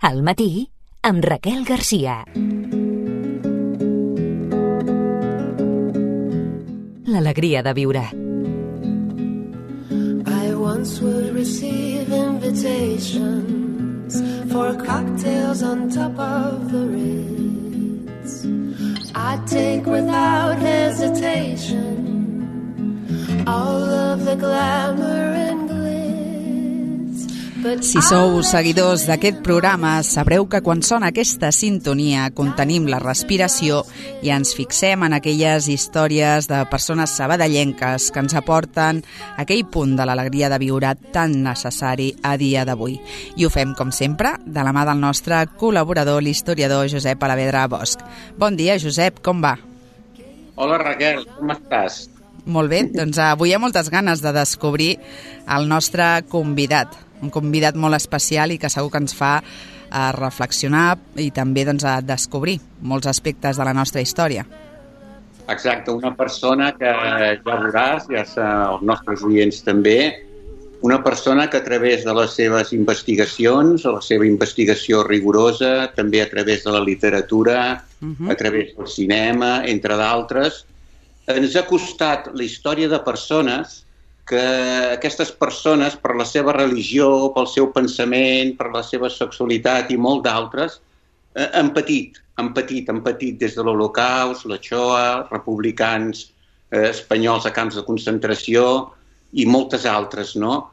Al matí, amb Raquel Garcia. L'alegria de viure. I once would receive invitations for cocktails on top of the Ritz. I'd take without hesitation all of the glamour and glitz. Si sou seguidors d'aquest programa, sabreu que quan sona aquesta sintonia contenim la respiració i ens fixem en aquelles històries de persones sabadellenques que ens aporten aquell punt de l'alegria de viure tan necessari a dia d'avui. I ho fem, com sempre, de la mà del nostre col·laborador, l'historiador Josep Alavedra Bosch. Bon dia, Josep, com va? Hola, Raquel, com estàs? Molt bé, doncs avui hi ha moltes ganes de descobrir el nostre convidat, un convidat molt especial i que segur que ens fa reflexionar i també a descobrir molts aspectes de la nostra història. Exacte, una persona que ja veuràs, ja els nostres oients també, una persona que a través de les seves investigacions, la seva investigació rigorosa, també a través de la literatura, a través del cinema, entre d'altres, ens ha costat la història de persones que aquestes persones, per la seva religió, pel seu pensament, per la seva sexualitat i molt d'altres, han patit des de l'Holocaust, la Shoah, republicans espanyols a camps de concentració i moltes altres, no?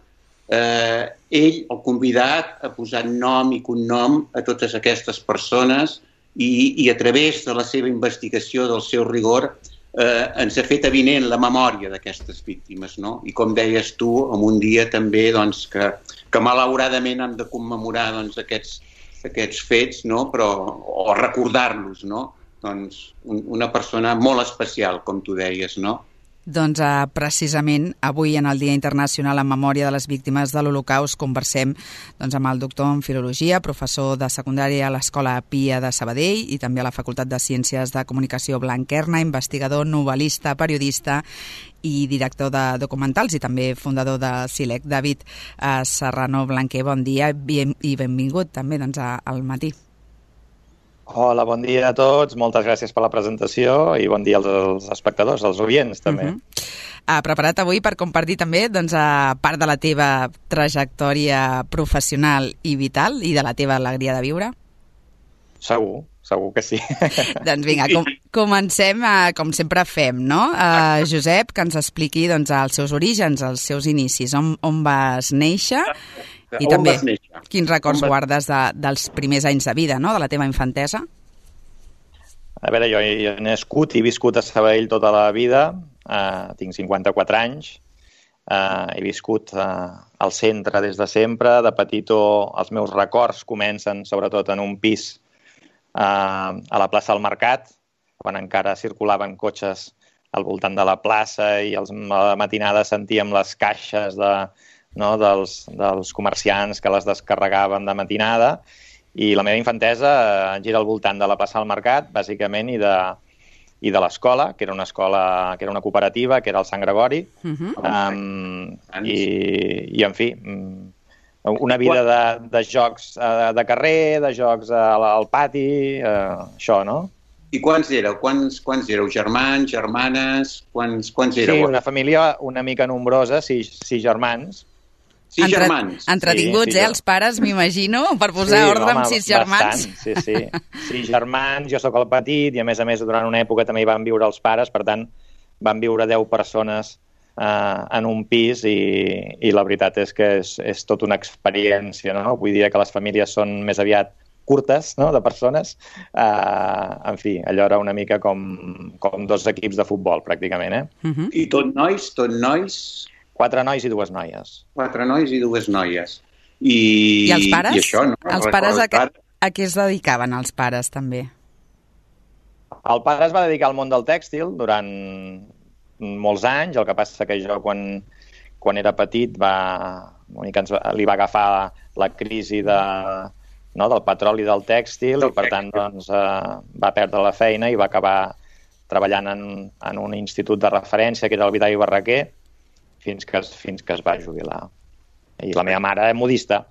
Ell, el convidat, ha posat nom i cognom a totes aquestes persones i a través de la seva investigació, del seu rigor, ens ha fet avinent la memòria d'aquestes víctimes, no? I com deies tu, en un dia també que malauradament hem de commemorar aquests fets, no? O recordar-los, no? Doncs una persona molt especial, com tu deies, no? Doncs precisament avui en el Dia Internacional en Memòria de les Víctimes de l'Holocaust conversem amb el doctor en Filologia, professor de secundària a l'Escola Pia de Sabadell i també a la Facultat de Ciències de Comunicació Blanquerna, investigador, novel·lista, periodista i director de documentals i també fundador de SILEC. David Serrano Blanquer, bon dia i benvingut també al matí. Hola, bon dia a tots, moltes gràcies per la presentació i bon dia als espectadors, als oients també. Preparat avui per compartir també part de la teva trajectòria professional i vital i de la teva alegria de viure? Segur que sí. Doncs vinga, comencem com sempre fem, no? Josep, que ens expliqui els seus orígens, els seus inicis, on vas néixer i també quins records guardes dels primers anys de vida, no?, de la teva infantesa. A veure, jo he nascut i viscut a Sabadell tota la vida, tinc 54 anys, he viscut al centre des de sempre, de petitó els meus records comencen sobretot en un pis a la plaça del Mercat, quan encara circulaven cotxes al voltant de la plaça i a la matinada sentíem les caixes dels comerciants que les descarregaven de matinada i la meva infantesa gira al voltant de la plaça del Mercat, bàsicament, i de l'escola, que era una escola, que era una cooperativa, que era el Sant Gregori, i en fi, una vida de jocs de carrer, de jocs al pati, això, no? I quants éreu? Quants éreu? Germans, germanes? Quants éreu? Sí, una família una mica nombrosa, sis germans. Sis germans. Entretinguts, els pares, m'imagino, per posar ordre amb 6 germans. Bastant, sí. 6 germans, jo sóc el petit i a més durant una època també hi van viure els pares, per tant van viure 10 persones en un pis i la veritat és que és tota una experiència, no? Vull dir que les famílies són més aviat curtes, no?, de persones. En fi, allò era una mica com 2 equips de futbol, pràcticament, I tot nois? 4 nois i 2 noies. 4 nois i 2 noies. I els pares? I això, no? Els pares a què es dedicaven, els pares, també? El pare es va dedicar al món del tèxtil durant molts anys, el que passa que jo quan era petit li va agafar la crisi del petroli del tèxtil i per tant va perdre la feina i va acabar treballant en un institut de referència que era el Vidal i Barraquer fins que es va jubilar. I la meva mare és modista.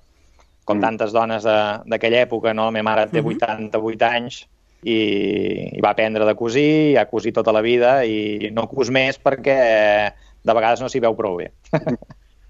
com tantes dones d'aquella època, no? La meva mare té 88 anys i va aprendre de cosir, ha cosit tota la vida i no cos més perquè de vegades no s'hi veu prou bé.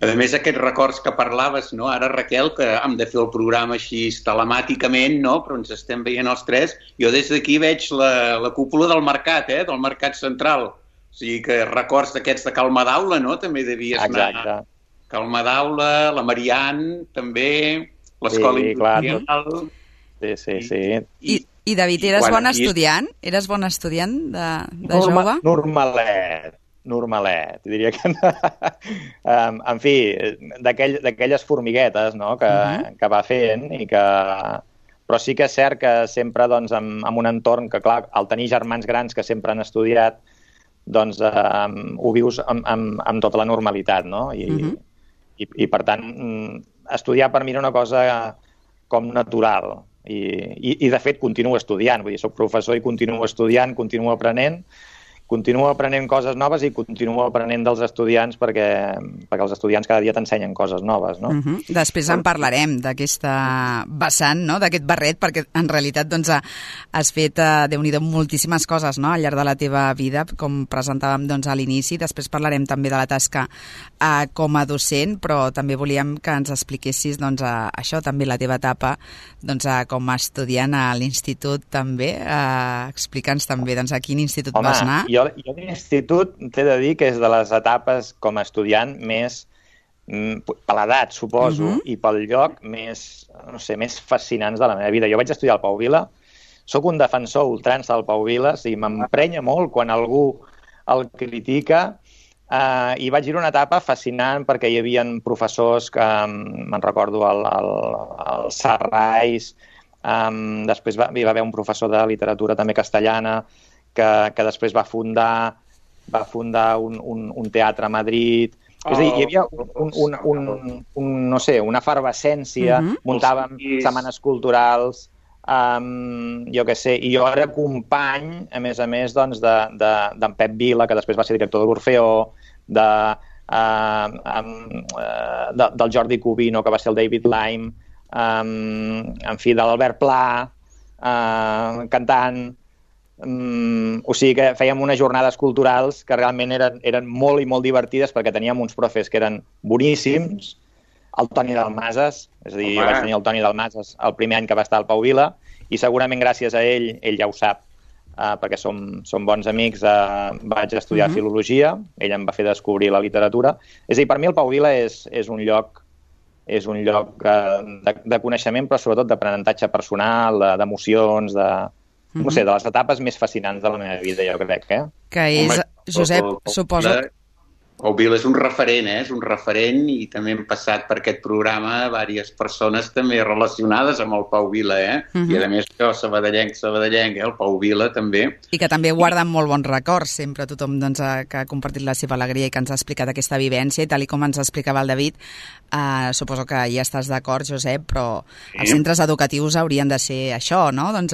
A més, aquests records que parlaves, no? Ara, Raquel, que hem de fer el programa així telemàticament, no? Però ens estem veient els tres. Jo des d'aquí veig la cúpula del mercat, del mercat central. O sigui que records d'aquests de Cal Madaula, no? També devies anar. Cal Madaula, la Marianne, també, l'escola industrial. Sí. I David, eres bon estudiant? Eres bon estudiant de jove? Normalet, diria que en fi, d'aquelles formiguetes, no?, que va fent i que... Però sí que és cert que sempre doncs, en un entorn que, clar, al tenir germans grans que sempre han estudiat, doncs ho vius amb tota la normalitat, no? I per tant, estudiar per mi era una cosa com natural. I de fet, continuo estudiant. Vull dir, soc professor i continuo estudiant, continuo aprenent coses noves i continuo aprenent dels estudiants perquè els estudiants cada dia t'ensenyen coses noves, no? Després en parlarem d'aquesta vessant, no?, d'aquest barret, perquè en realitat doncs, has fet, Déu-n'hi-do, moltíssimes coses, no?, al llarg de la teva vida, com presentàvem doncs, a l'inici. Després parlarem també de la tasca com a docent, però també volíem que ens expliquessis doncs, això, també la teva etapa doncs, com a estudiant a l'institut també. Explica'ns també doncs, a quin institut vas anar. Jo l'institut t'he de dir que és de les etapes com a estudiant més, per l'edat, suposo, i pel lloc més, no sé, més fascinants de la meva vida. Jo vaig estudiar al Pau Vila, sóc un defensor ultrança del Pau Vila, i m'emprenya molt quan algú el critica, i vaig dir una etapa fascinant perquè hi havia professors que, me'n recordo, el Sarrais, després hi va haver un professor de literatura també castellana, que després va fundar un teatre a Madrid. És a dir, hi havia no sé, una efervescència, muntàvem setmanes culturals, jo què sé, i jo era company, a més, doncs, d'en Pep Vila, que després va ser director de l'Orfeó, del Jordi Cubino, que va ser el David Lime, en fi, de l'Albert Pla, cantant. O sigui que fèiem unes jornades culturals que realment eren molt i molt divertides perquè teníem uns profes que eren boníssims. El Toni Dalmases, és a dir, jo vaig tenir el Toni Dalmases el primer any que va estar al Pau Vila i segurament gràcies a ell ja ho sap, perquè som bons amics, vaig estudiar filologia, ell em va fer descobrir la literatura. És a dir, per mi el Pau Vila és un lloc de coneixement, però sobretot d'aprenentatge personal, d'emocions, no sé, de les etapes més fascinants de la meva vida, jo crec, Que és, Josep, suposo... Pau Vila és un referent, és un referent, i també hem passat per aquest programa diverses persones també relacionades amb el Pau Vila, I a més jo, sabadellenc, el Pau Vila també. I que també guarden molt bons records, sempre tothom doncs, que ha compartit la seva alegria i que ens ha explicat aquesta vivència, i tal com ens explicava el David, suposo que ja estàs d'acord, Josep, però els centres educatius haurien de ser això, no? Doncs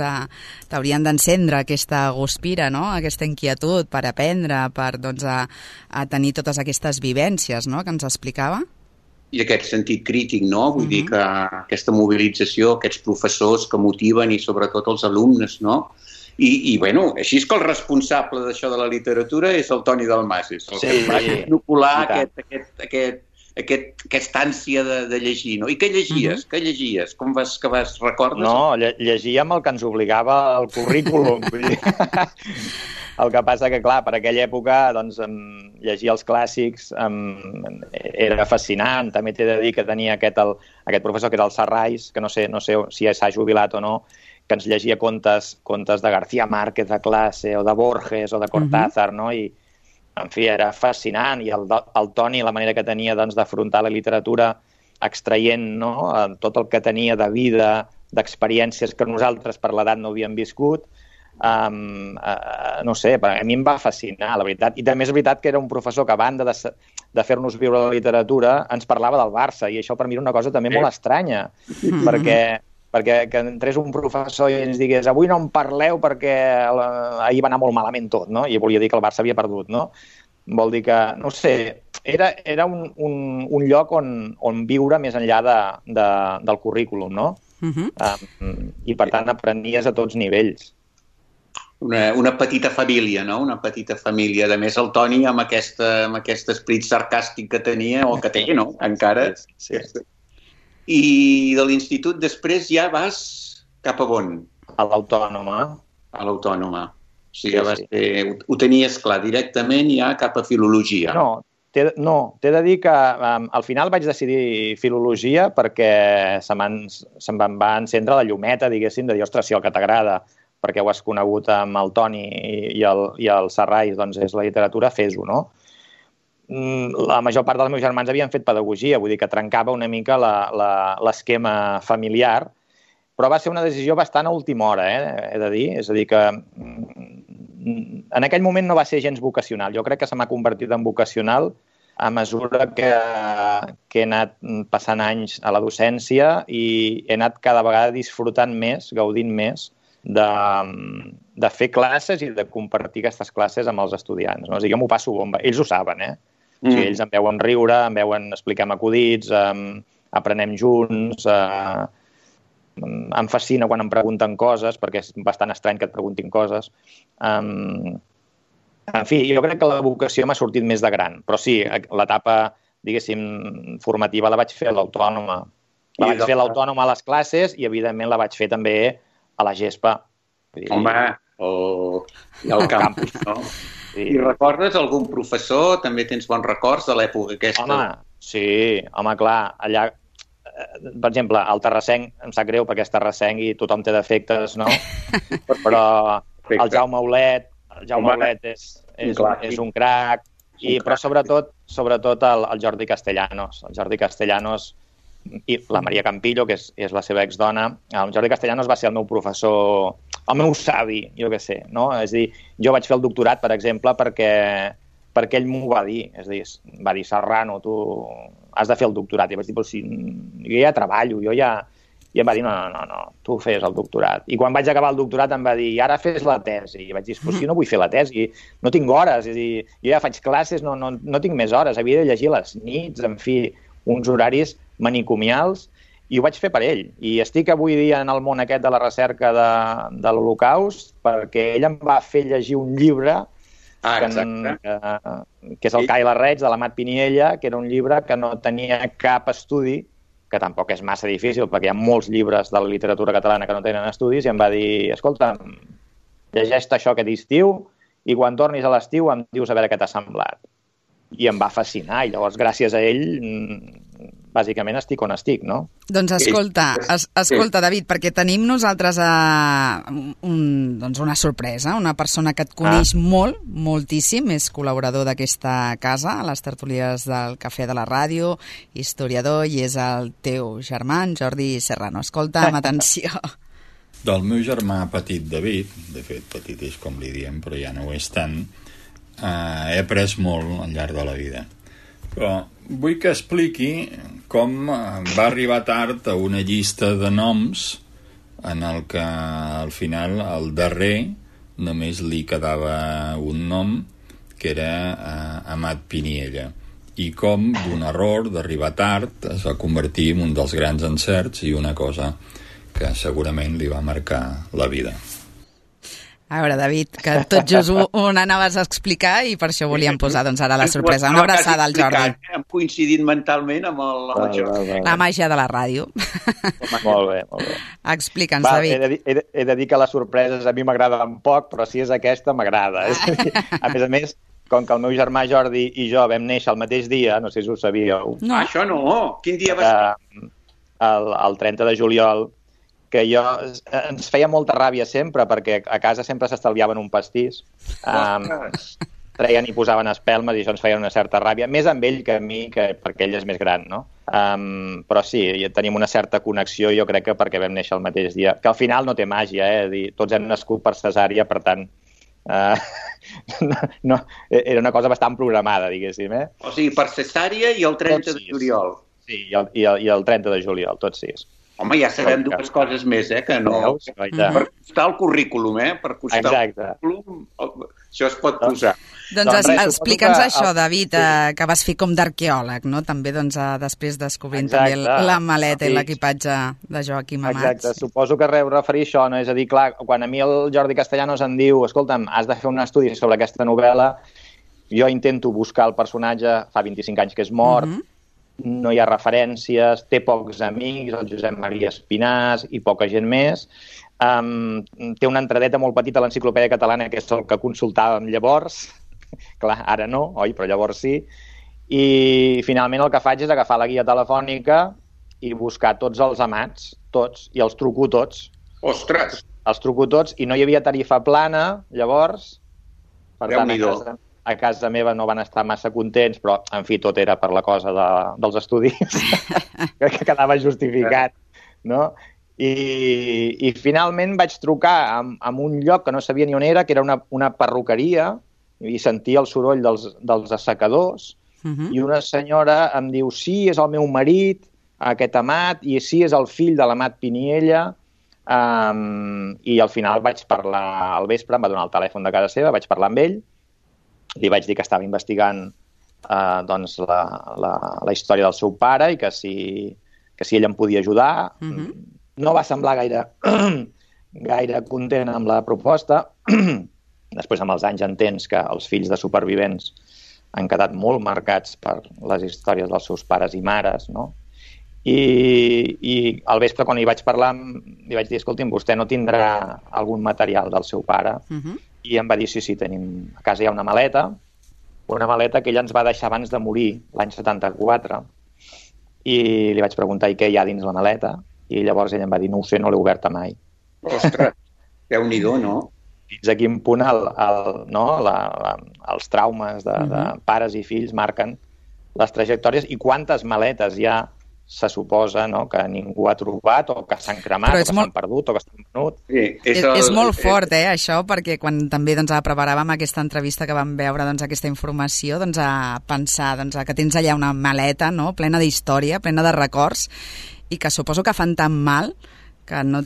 t'haurien d'encendre aquesta guspira, no? Aquesta inquietud per aprendre, per doncs, a tenir totes aquestes vivències, no?, que ens explicava. I aquest sentit crític, no? Vull dir que aquesta mobilització, aquests professors que motiven i sobretot els alumnes, no? I bueno, així és que el responsable d'això de la literatura és el Toni Dalmases, el que va inocular aquesta ànsia de llegir, no? I què llegies? Què llegies? Com que vas recordes? No, llegíem el que ens obligava el currículum. El que passa que, clar, per aquella època doncs, llegir els clàssics era fascinant. També t'he de dir que tenia aquest professor que era el Sarrais, que no sé si s'ha jubilat o no, que ens llegia contes de García Márquez de classe, o de Borges, o de Cortázar, no? I, en fi, era fascinant. I el Toni, la manera que tenia doncs, d'afrontar la literatura extraient, no?, tot el que tenia de vida, d'experiències que nosaltres per l'edat no havíem viscut, no sé, a mi em va fascinar, la veritat. I també és veritat que era un professor que, a banda de fer-nos viure la literatura, ens parlava del Barça, i això per mi era una cosa també molt estranya, perquè que entrés un professor i ens digués avui no en parleu perquè ahir va anar molt malament tot, no? I volia dir que el Barça havia perdut, no? Vol dir que, no sé, era un lloc on viure més enllà del currículum, no? I per tant aprenies a tots nivells. Una petita família, no? Una petita família. A més, el Toni, amb aquest esperit sarcàstic que tenia, o que té, no? Encara. Sí. I de l'institut després ja vas cap a on? A l'Autònoma. A l'Autònoma. O sigui, ho tenies clar directament ja cap a filologia. No, t'he de dir que al final vaig decidir filologia perquè se'm va encendre la llumeta, diguéssim, de dir, ostres, si el que t'agrada, perquè ho has conegut amb el Toni i el Serrais, doncs és la literatura, fes-ho, no? La major part dels meus germans havien fet pedagogia, vull dir que trencava una mica l'esquema familiar, però va ser una decisió bastant a última hora, he de dir. És a dir, que en aquell moment no va ser gens vocacional. Jo crec que se m'ha convertit en vocacional a mesura que he anat passant anys a la docència i he anat cada vegada disfrutant més, gaudint més, de fer classes i de compartir aquestes classes amb els estudiants. No? O sigui, jo m'ho passo bomba. Ells ho saben, O sigui, ells em veuen riure, em veuen explicar acudits, aprenem junts, em fascina quan em pregunten coses, perquè és bastant estrany que et preguntin coses. En fi, jo crec que la vocació m'ha sortit més de gran, però sí, l'etapa, diguéssim, formativa la vaig fer a l'Autònoma. La vaig fer a l'Autònoma a les classes i, evidentment, la vaig fer també a la Gespa. Home, i al campus, no? Sí. I recordes algun professor? També tens bons records de l'època aquesta? Home, sí, clar, allà, per exemple, el terrassenc, em sap greu perquè és terrassenc i tothom té defectes, no? Però el Jaume Aulet és un crac, però sobretot el Jordi Castellanos. El Jordi Castellanos i la Maria Campillo, que és la seva exdona. El Jordi Castellanos va ser el meu professor, el meu savi, jo què sé, no? És a dir, jo vaig fer el doctorat, per exemple, perquè ell m'ho va dir. És a dir, va dir, Serrano, tu has de fer el doctorat. I vaig dir, però si jo ja treballo, I em va dir, no, tu fes el doctorat. I quan vaig acabar el doctorat em va dir, ara fes la tesi. I vaig dir, però si no vull fer la tesi, no tinc hores. És a dir, jo ja faig classes, no tinc més hores. Havia de llegir les nits, en fi, uns horaris manicomials, i ho vaig fer per ell. I estic avui dia en el món aquest de la recerca de l'Holocaust perquè ell em va fer llegir un llibre que és el Ca i la Reig, de l'Amat Piniella, que era un llibre que no tenia cap estudi, que tampoc és massa difícil, perquè hi ha molts llibres de la literatura catalana que no tenen estudis, i em va dir, escolta, llegeix-te això aquest estiu i quan tornis a l'estiu em dius a veure què t'ha semblat. I em va fascinar, i llavors gràcies a ell bàsicament estic on estic, no? Doncs escolta, David, perquè tenim nosaltres una sorpresa, una persona que et coneix molt, moltíssim, és col·laborador d'aquesta casa, a les tertúlies del Cafè de la Ràdio, historiador, i és el teu germà, en Jordi Serrano. Escolta, amb atenció. Del meu germà petit David, de fet petit és com li diem, però ja no ho és tant, he après molt al llarg de la vida. Però vull que expliqui com va arribar tard a una llista de noms en el que al final al darrer només li quedava un nom, que era Amat Piniella, i com d'un error d'arribar tard es va convertir en un dels grans encerts i una cosa que segurament li va marcar la vida. A veure, David, que tot just ho anaves a explicar i per això volíem posar ara la sorpresa. Una abraçada al Jordi. Hem coincidit mentalment amb el Jordi. La màgia de la ràdio. Molt bé. Explica'ns, David. He de dir que les sorpreses a mi m'agraden poc, però si és aquesta m'agrada. A més, com que el meu germà Jordi i jo vam néixer el mateix dia, no sé si ho sabíeu. No, això no. Quin dia va ser? El 30 de juliol, que ens feia molta ràbia sempre, perquè a casa sempre s'estalviaven un pastís, treien i posaven espelmes i això ens feia una certa ràbia, més amb ell que a mi, perquè ell és més gran, no? Però sí, tenim una certa connexió, jo crec que perquè vam néixer el mateix dia, que al final no té màgia, tots hem nascut per cesària, per tant, era una cosa bastant programada, diguéssim. O sigui, per cesària i el 30 de juliol. Sí, i el 30 de juliol, tots 6. Home, ja sabem dues coses més, que no... Per costar el currículum, per costar el currículum, això es pot posar. Doncs explica'ns això, David, que vas fer com d'arqueòleg, no? També després descobrint també la maleta i l'equipatge de Joaquim Amat. Exacte, suposo que referir això, no? És a dir, clar, quan a mi el Jordi Castellanos em diu escolta'm, has de fer un estudi sobre aquesta novel·la, jo intento buscar el personatge, fa 25 anys que és mort, no hi ha referències, té pocs amics, el Josep Maria Espinàs i poca gent més. Té una entradeta molt petita a l'Enciclopèdia Catalana, que és el que consultàvem llavors. Clar, ara no, oi? Però llavors sí. I finalment el que faig és agafar la guia telefònica i buscar tots els Amats, tots, i els truco tots. Ostres! Els truco tots, i no hi havia tarifa plana, llavors. Per tant, a casa meva no van estar massa contents, però, en fi, tot era per la cosa dels estudis, que quedava justificat, no? I finalment vaig trucar a un lloc que no sabia ni on era, que era una perruqueria, i sentia el soroll dels assecadors, i una senyora em diu, sí, és el meu marit, aquest Amat, i sí, és el fill de l'Amat Piniella, i al final vaig parlar al vespre, em va donar el telèfon de casa seva, vaig parlar amb ell, li vaig dir que estava investigant la història del seu pare i que si ell em podia ajudar. No va semblar gaire content amb la proposta. Després, amb els anys, entens que els fills de supervivents han quedat molt marcats per les històries dels seus pares i mares, no? I al vespre, quan li vaig parlar, li vaig dir, escolti'm, vostè no tindrà algun material del seu pare? I em va dir, sí, tenim, a casa hi ha una maleta que ella ens va deixar abans de morir, l'any 74. I li vaig preguntar, i què hi ha dins la maleta? I llavors ella em va dir, no ho sé, no l'he oberta mai. Ostres, Déu-n'hi-do, no? Fins a quin punt els traumes de pares i fills marquen les trajectòries i quantes maletes ja se suposa, no, que ningú ha trobat o que s'han cremat o que s'han perdut o que s'han venut. Sí, és molt fort, això, perquè quan també preparàvem aquesta entrevista que vam veure aquesta informació, a pensar que tens allà una maleta, no, plena d'història, plena de records, i que suposo que fan tan mal que no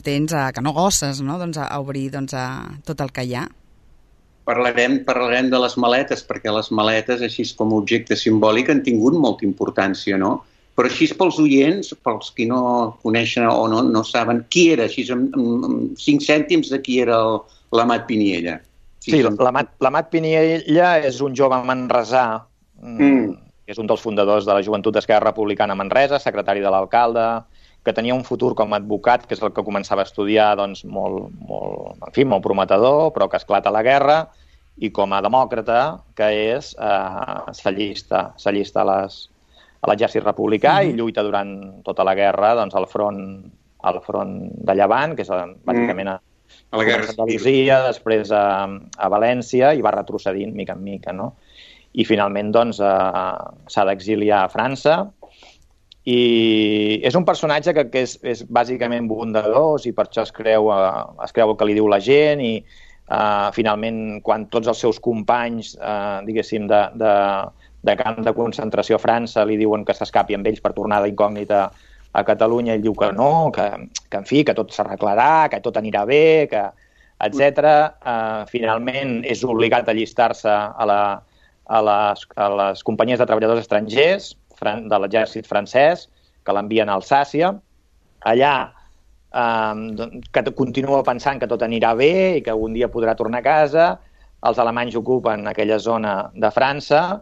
gosses, no, a obrir tot el que hi ha. Parlarem de les maletes, perquè les maletes, així com a objecte simbòlic, han tingut molta importància, no? Però així pels oients, pels qui no coneixen o no saben qui era, així amb 5 cèntims de qui era l'Amat Piniella. Sí, l'Amat Piniella és un jove manresà, que és un dels fundadors de la Joventut d'Esquerra Republicana a Manresa, secretari de l'alcalde, que tenia un futur com a advocat, que és el que començava a estudiar, molt prometedor, però que esclata la guerra, i com a demòcrata, que és s'allista a l'exèrcit republicà i lluita durant tota la guerra al front de Llevant, que és bàsicament a la guerra d'Andalusia, després a València, i va retrocedint mica en mica, no? I finalment s'ha d'exiliar a França, i és un personatge que és bàsicament bondadós i per això es creu el que li diu la gent, i finalment quan tots els seus companys diguéssim de camp de concentració a França li diuen que s'escapi amb ells per tornar d'incògnita a Catalunya, ell diu que no, que en fi, que tot s'arreglarà, que tot anirà bé, etc. Finalment és obligat a allistar-se a les companyies de treballadors estrangers de l'exèrcit francès, que l'envien a Alsàcia. Allà que continua pensant que tot anirà bé i que un dia podrà tornar a casa. Els alemanys ocupen aquella zona de França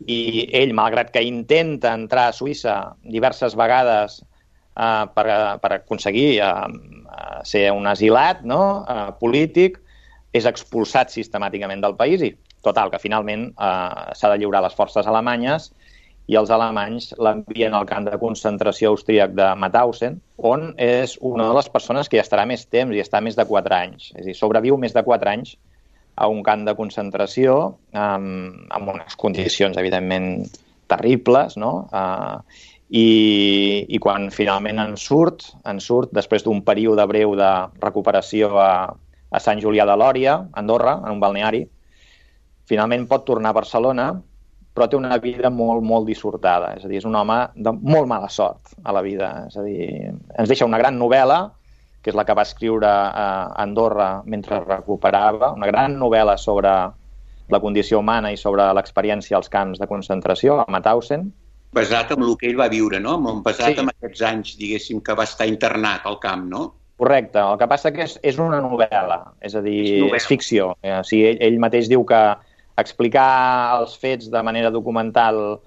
i ell, malgrat que intenta entrar a Suïssa diverses vegades per aconseguir ser un asilat, no? Polític, és expulsat sistemàticament del país i, total, que finalment s'ha de lliurar a les forces alemanyes i els alemanys l'envien al camp de concentració austríac de Mauthausen, on és una de les persones que hi estarà més temps, i està més de 4 anys. És a dir, sobreviu més de 4 anys a un camp de concentració amb unes condicions, evidentment, terribles, no? I quan finalment en surt, després d'un període breu de recuperació a Sant Julià de Lòria, a Andorra, en un balneari, finalment pot tornar a Barcelona, però té una vida molt, molt dissortada. És a dir, és un home de molt mala sort a la vida. És a dir, ens deixa una gran novel·la, que és la que va escriure a Andorra mentre recuperava, una gran novel·la sobre la condició humana i sobre l'experiència als camps de concentració, a Mauthausen. Basat en el que ell va viure, no? Basat en aquests anys, diguéssim, que va estar internat al camp, no? Correcte. El que passa que és una novel·la, és a dir, és ficció. O sigui, ell mateix diu que explicar els fets de manera documental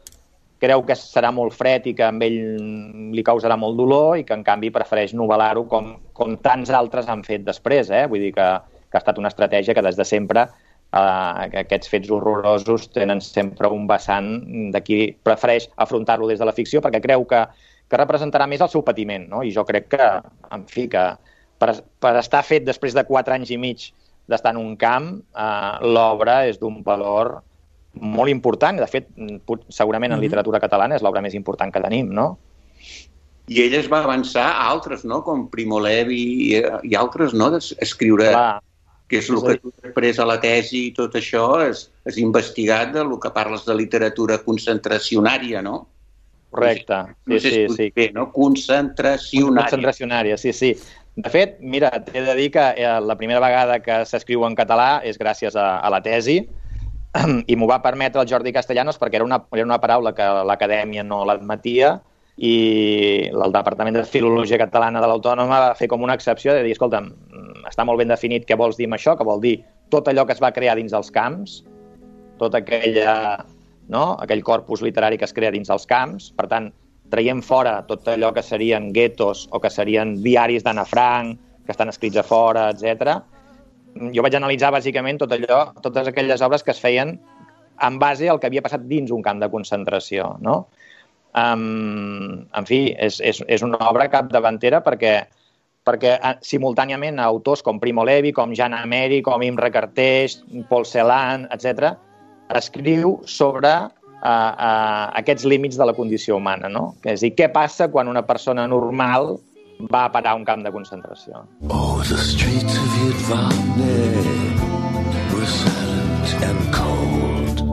creu que serà molt fred i que a ell li causarà molt dolor i que, en canvi, prefereix novel·lar-ho com tants altres han fet després. Vull dir que ha estat una estratègia que des de sempre aquests fets horrorosos tenen sempre un vessant de qui prefereix afrontar-lo des de la ficció perquè creu que representarà més el seu patiment, no? I jo crec que, en fi, que per estar fet després de 4 anys i mig d'estar en un camp, l'obra és d'un valor molt important. De fet, segurament en literatura catalana és l'obra més important que tenim, no? I ell es va avançar a altres, no? Com Primo Levi i altres, no? D'escriure, que és el que tu després a la tesi i tot això has investigat del que parles de literatura concentracionària, no? Correcte. Sí. Bé, no? Concentracionària. Concentracionària, sí. De fet, mira, t'he de dir que la primera vegada que s'escriu en català és gràcies a la tesi, i m'ho va permetre el Jordi Castellanos perquè era una paraula que l'acadèmia no l'admetia i el Departament de Filologia Catalana de l'Autònoma va fer com una excepció de dir, escolta'm, està molt ben definit què vols dir amb això, que vol dir tot allò que es va crear dins dels camps, tot aquell corpus literari que es crea dins dels camps, per tant, traiem fora tot allò que serien guetos o que serien diaris d'Anna Frank, que estan escrits a fora, etc. Jo vaig analitzar bàsicament totes aquelles obres que es feien en base al que havia passat dins un camp de concentració, no? En fi, és una obra capdavantera perquè simultàniament autors com Primo Levi, com Jan Ameri, com Imre Carteix, Paul Celan, etc., escriu sobre aquests límits de la condició humana, no? És a dir, què passa quan una persona normal va a parar a un camp de concentració? Oh, the streets of Yadvane were silent and cold.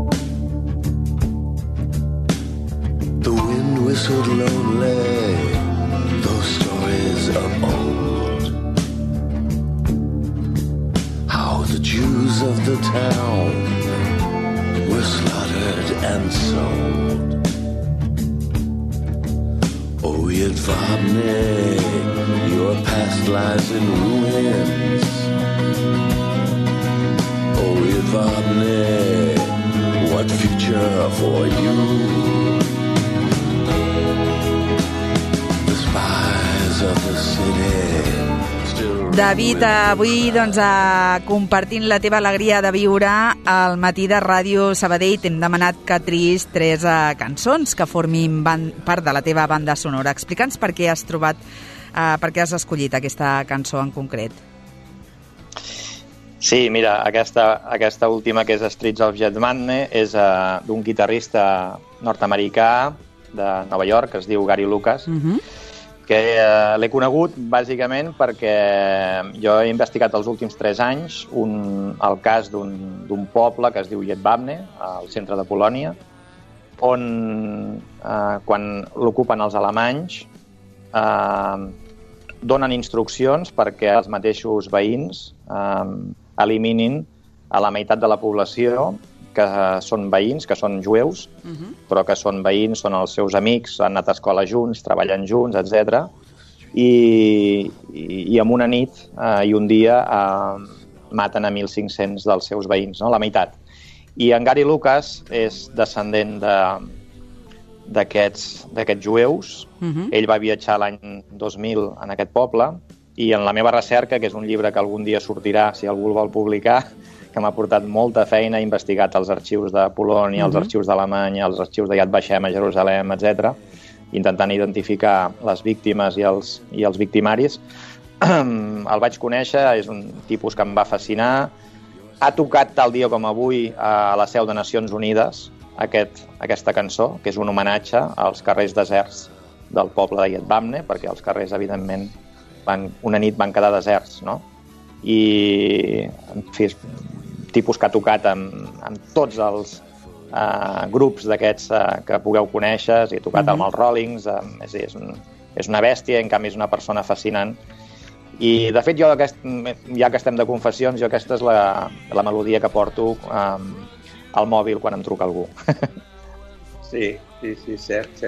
The wind whistled lonely, those stories of old. How the Jews of the town were slaughtered and sold. Oh, Yadvane, your past lies in ruins. Oh, Yadvane, what future for you? The spies of the city. David, avui compartint la teva alegria de viure al matí de Ràdio Sabadell t'hem demanat que triïs 3 cançons que formin part de la teva banda sonora. Explica'ns per què has escollit aquesta cançó en concret. Sí, mira, aquesta última que és Streets of Yadvane és d'un guitarrista nord-americà de Nova York que es diu Gary Lucas, que l'he conegut bàsicament perquè jo he investigat els últims 3 anys el cas d'un poble que es diu Yadvane, al centre de Polònia, on quan l'ocupen els alemanys donen instruccions perquè els mateixos veïns eliminin a la meitat de la població que són veïns, que són jueus, però que són veïns, són els seus amics, han anat a escola junts, treballen junts, etc. I en una nit i un dia maten a 1.500 dels seus veïns, no? La meitat. I en Gary Lucas és descendent d'aquests jueus. Ell va viatjar l'any 2000 en aquest poble i en la meva recerca, que és un llibre que algun dia sortirà, si algú el vol publicar, que m'ha portat molta feina, he investigat els arxius de Polònia, els arxius d'Alemanya, els arxius de Yad Vashem a Jerusalem, etc., intentant identificar les víctimes i els victimaris. El vaig conèixer, és un tipus que em va fascinar. Ha tocat tal dia com avui a la seu de Nacions Unides aquesta cançó, que és un homenatge als carrers deserts del poble de Yadvane, perquè els carrers, evidentment, una nit van quedar deserts, no? I, en fi, és tipus que ha tocat amb tots els grups d'aquests que pugueu conèixer, i ha tocat amb els Rollings, és una bèstia, en canvi és una persona fascinant. I, de fet, jo, ja que estem de confessions, aquesta és la melodia que porto al mòbil quan em truca algú. Sí, cert.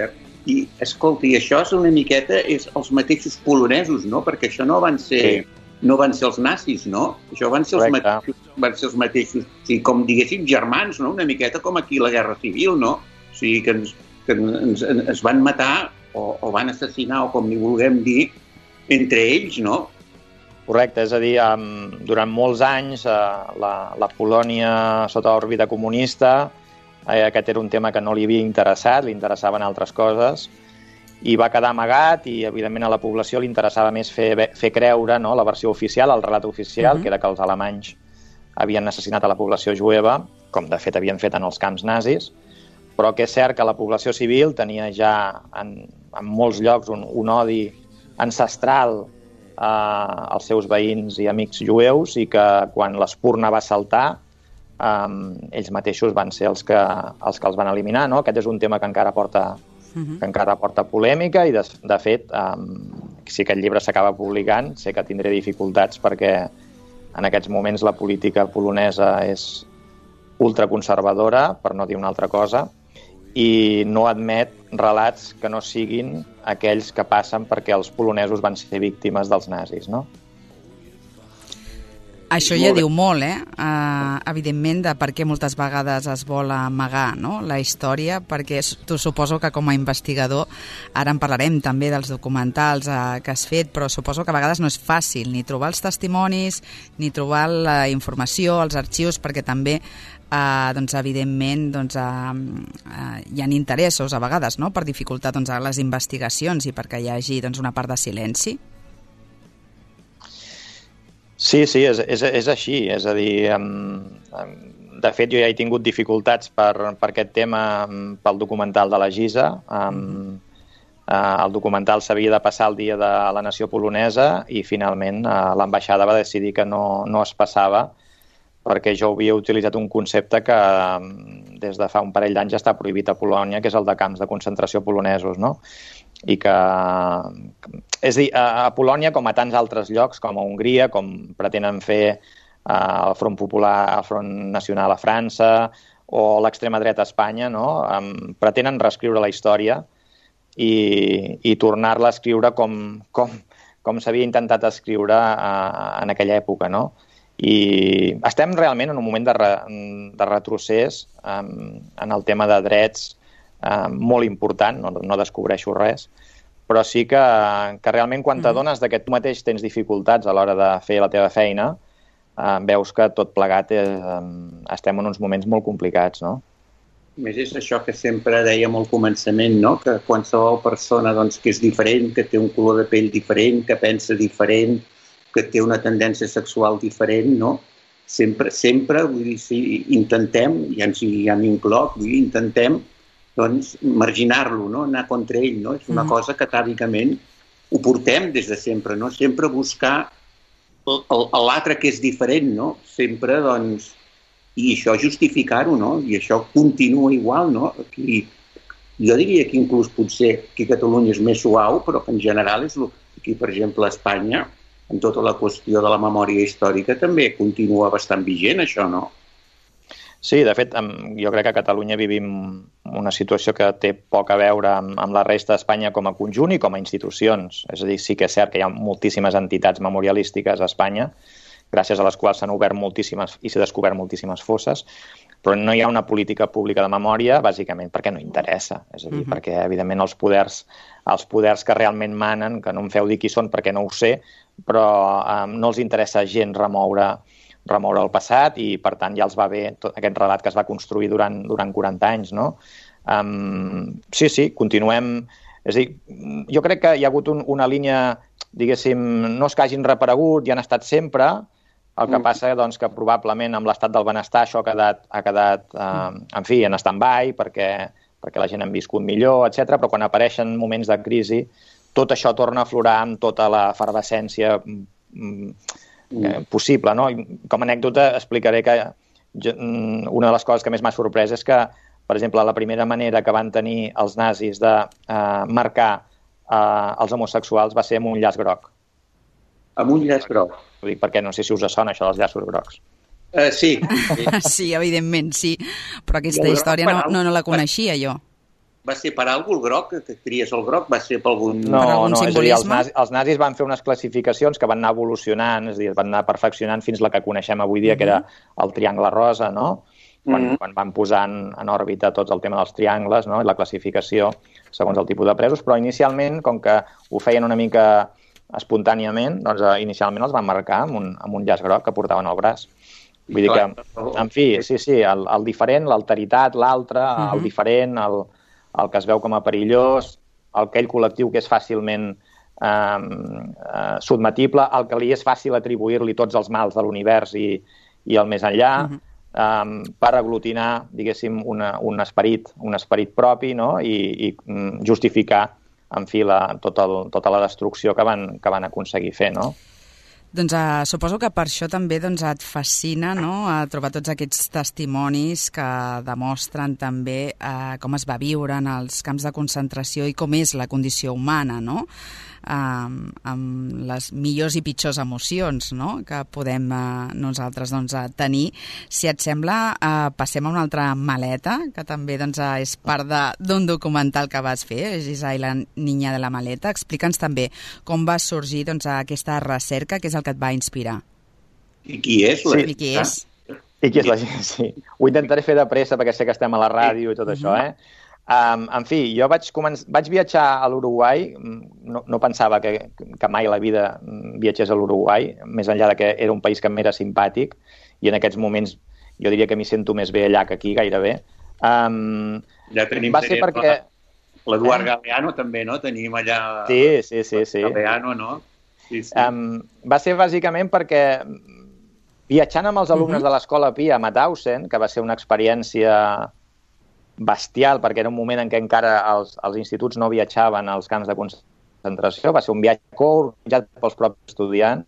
I, escolta, i això és una miqueta els mateixos polonesos, no? Perquè això no van ser els nazis, no? Això van ser els mateixos, sí, com diguéssim, germans, no? Una miqueta com aquí la Guerra Civil, no? O sigui, que ens van matar o van assassinar, o com n'hi vulguem dir, entre ells, no? Correcte, és a dir, durant molts anys la Polònia sota òrbita comunista, aquest era un tema que no li havia interessat, li interessaven altres coses, i va quedar amagat i, evidentment, a la població li interessava més fer creure, no, la versió oficial, el relat oficial, que era que els alemanys havien assassinat a la població jueva, com de fet havien fet en els camps nazis, però que és cert que la població civil tenia ja en molts llocs un odi ancestral als seus veïns i amics jueus, i que quan l'espurna va saltar ells mateixos van ser els que els van eliminar, no? Aquest és un tema que encara porta polèmica i, de fet, si aquest llibre s'acaba publicant, sé que tindré dificultats perquè en aquests moments la política polonesa és ultraconservadora, per no dir una altra cosa, i no admet relats que no siguin aquells que passen perquè els polonesos van ser víctimes dels nazis, no? Això ja diu molt, evidentment, de per què moltes vegades es vol amagar, no?, la història, perquè tu suposo que com a investigador, ara en parlarem també dels documentals que has fet, però suposo que a vegades no és fàcil ni trobar els testimonis, ni trobar la informació, els arxius, perquè també, evidentment, hi ha interessos a vegades, no?, per dificultar les investigacions i perquè hi hagi una part de silenci. Sí, és així. És a dir, de fet, jo ja he tingut dificultats per aquest tema pel documental de la Giza. El documental s'havia de passar el dia de la nació polonesa i finalment l'ambaixada va decidir que no es passava perquè jo havia utilitzat un concepte que des de fa un parell d'anys està prohibit a Polònia, que és el de camps de concentració polonesos, no? I que, és a dir, a Polònia, com a tants altres llocs, com a Hongria, com pretenen fer el Front Popular, el Front Nacional a França o l'extrema dreta a Espanya, no? Pretenen reescriure la història i tornar-la a escriure com s'havia intentat escriure en aquella època, no? I estem realment en un moment de retrocés en el tema de drets molt important, no descobreixo res, però sí que realment quan t'adones que tu mateix tens dificultats a l'hora de fer la teva feina, veus que tot plegat estem en uns moments molt complicats, no? A més, és això que sempre dèiem al començament, no? Que qualsevol persona que és diferent, que té un color de pell diferent, que pensa diferent, que té una tendència sexual diferent, no? Sempre, vull dir, sí, intentem, ja m'incloc, intentem marginar-lo, no? Anar contra ell, no? És una cosa que tàbicament ho portem des de sempre, no? Sempre buscar l'altre que és diferent, no? Sempre, i això justificar-ho, no? I això continua igual, no? Aquí, jo diria que inclús potser aquí a Catalunya és més suau, però que en general és aquí, per exemple, a Espanya, en tota la qüestió de la memòria històrica també continua bastant vigent, això, no? Sí, de fet, jo crec que a Catalunya vivim una situació que té poc a veure amb la resta d'Espanya com a conjunt i com a institucions. És a dir, sí que és cert que hi ha moltíssimes entitats memorialístiques a Espanya, gràcies a les quals s'han obert moltíssimes i s'ha descobert moltíssimes fosses, però no hi ha una política pública de memòria, bàsicament perquè no interessa. És a dir, perquè, evidentment, els poders que realment manen, que no em feu dir qui són perquè no ho sé, però no els interessa gens remoure el passat i, per tant, ja els va bé tot aquest relat que es va construir durant 40 anys, no? Sí, continuem... És a dir, jo crec que hi ha hagut una línia, diguéssim, no és que hagin reaparegut, ja han estat sempre, el que passa que probablement amb l'estat del benestar això ha quedat en fi, en stand-by, perquè la gent ha viscut millor, etc. Però quan apareixen moments de crisi, tot això torna a aflorar amb tota la efervescència possible, no? Com a anècdota explicaré que una de les coses que més m'ha sorprès és que, per exemple, la primera manera que van tenir els nazis de marcar els homosexuals va ser amb un llaç groc. Amb un llaç groc? Ho dic perquè no sé si us sona això dels llaços grocs. Sí. Sí, evidentment, sí. Però aquesta història no la coneixia jo. Va ser per algú el groc, que tries el groc? Va ser per algun... No, per algun simbolisme? És a dir, els nazis van fer unes classificacions que van anar evolucionant, és a dir, van anar perfeccionant fins la que coneixem avui dia, que era el triangle rosa, no? Quan van posar en òrbita tot el tema dels triangles, no? I la classificació segons el tipus de presos, però inicialment, com que ho feien una mica espontàniament, doncs inicialment els van marcar amb un llaç groc que portaven al braç. Vull dir que, en fi, sí, el diferent, l'alteritat, l'altre, el diferent, el que es veu com a perillós, aquell col·lectiu que és fàcilment sotmetible, el que li és fàcil atribuir-li tots els mals de l'univers i el més enllà, per aglutinar, diguéssim, un esperit propi, no? I justificar, en fi, tota la destrucció que van aconseguir fer, no? Doncs suposo que per això també et fascina, no?, trobar tots aquests testimonis que demostren també com es va viure en els camps de concentració i com és la condició humana, no?, amb les millors i pitjors emocions, no?, que podem nosaltres tenir. Si et sembla, passem a una altra maleta, que també és part d'un documental que vas fer, Gisà i la niña de la maleta. Explica'ns també com va sorgir aquesta recerca, que és el que et va inspirar. I qui és? I qui és? I qui és la gent, sí. Ho intentaré fer de pressa perquè sé que estem a la ràdio i tot això, En fi, jo vaig viatjar a l'Uruguai, no pensava que mai a la vida viatgés a l'Uruguai, més enllà de que era un país que m'era simpàtic, i en aquests moments jo diria que m'hi sento més bé allà que aquí, gairebé. Ja tenim perquè... l'Eduard Galeano també, no? Tenim allà... Sí. Galeano, no? Sí. Va ser bàsicament perquè viatjant amb els alumnes de l'Escola Pia a Mauthausen, que va ser una experiència bestial, perquè era un moment en què encara els instituts no viatjaven als camps de concentració, va ser un viatge organitzat pels propis estudiants,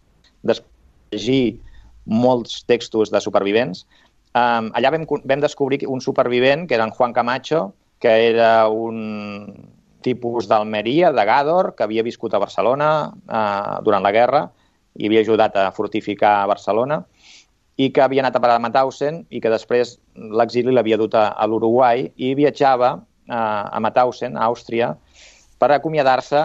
llegir molts textos de supervivents. Allà vam descobrir un supervivent, que era en Juan Camacho, que era un tipus d'Almeria, de Gàdor, que havia viscut a Barcelona durant la guerra i havia ajudat a fortificar Barcelona, i que havia anat a parar a Mauthausen i que després l'exili l'havia dut a l'Uruguai i viatjava a Mauthausen, a Àustria, per acomiadar-se